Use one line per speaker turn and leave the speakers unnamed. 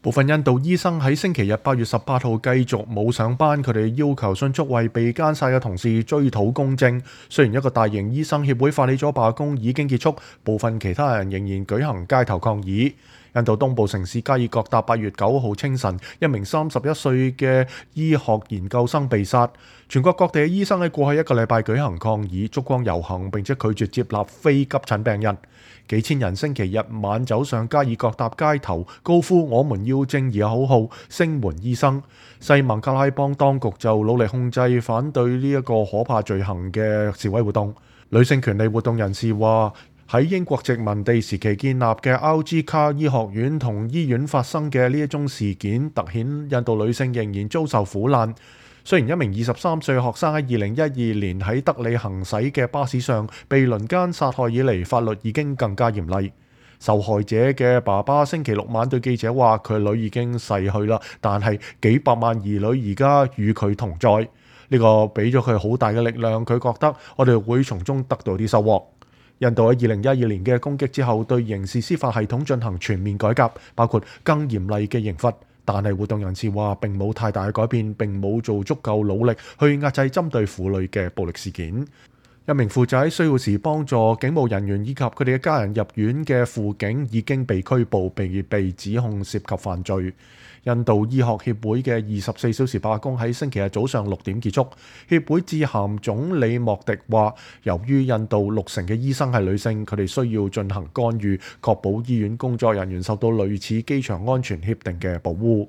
部分印度醫生喺星期日8月18號繼續冇上班，佢哋要求迅速為被姦殺嘅同事追討公正。雖然一個大型醫生協會發起咗罷工已經結束，部分其他人仍然舉行街頭抗議。印度東部城市加爾各答8月9號清晨，一名31歲嘅醫學研究生被殺。全國各地嘅醫生喺過去一個禮拜舉行抗議、燭光遊行，並且拒絕接納非急診病人。幾千人星期日晚走上加爾各答街頭，高呼我們要正義嘅口號，聲援醫生。西孟加拉邦當局就努力控制反對呢一個可怕罪行嘅示威活動。女性權利活動人士話，喺英國殖民地時期建立嘅 RG 卡醫學院同醫院發生嘅呢一宗事件，凸顯印度女性仍然遭受苦難。雖然一名23歲學生喺2012年喺德里行駛嘅巴士上被輪姦殺害以嚟，法律已經更加嚴厲。受害者嘅爸爸星期六晚對記者話：佢女已經逝去啦，但係幾百萬兒女而家與佢同在。呢個俾咗佢好大嘅力量，佢覺得我哋會從中得到啲收穫。印度喺2012年嘅攻擊之後，對刑事司法系統進行全面改革，包括更嚴厲嘅刑罰。但係活動人士話並冇太大嘅改變，並冇做足夠努力去壓制針對婦女嘅暴力事件。一名負責喺需要時幫助警務人員以及佢哋嘅家人入院嘅輔警已經被拘捕，並被指控涉及犯罪。印度醫學協會嘅24小時罷工喺星期日早上6點結束。協會致函總理莫迪話，由於印度60%嘅醫生係女性，佢哋需要進行干預，確保醫院工作人員受到類似機場安全協定嘅保護。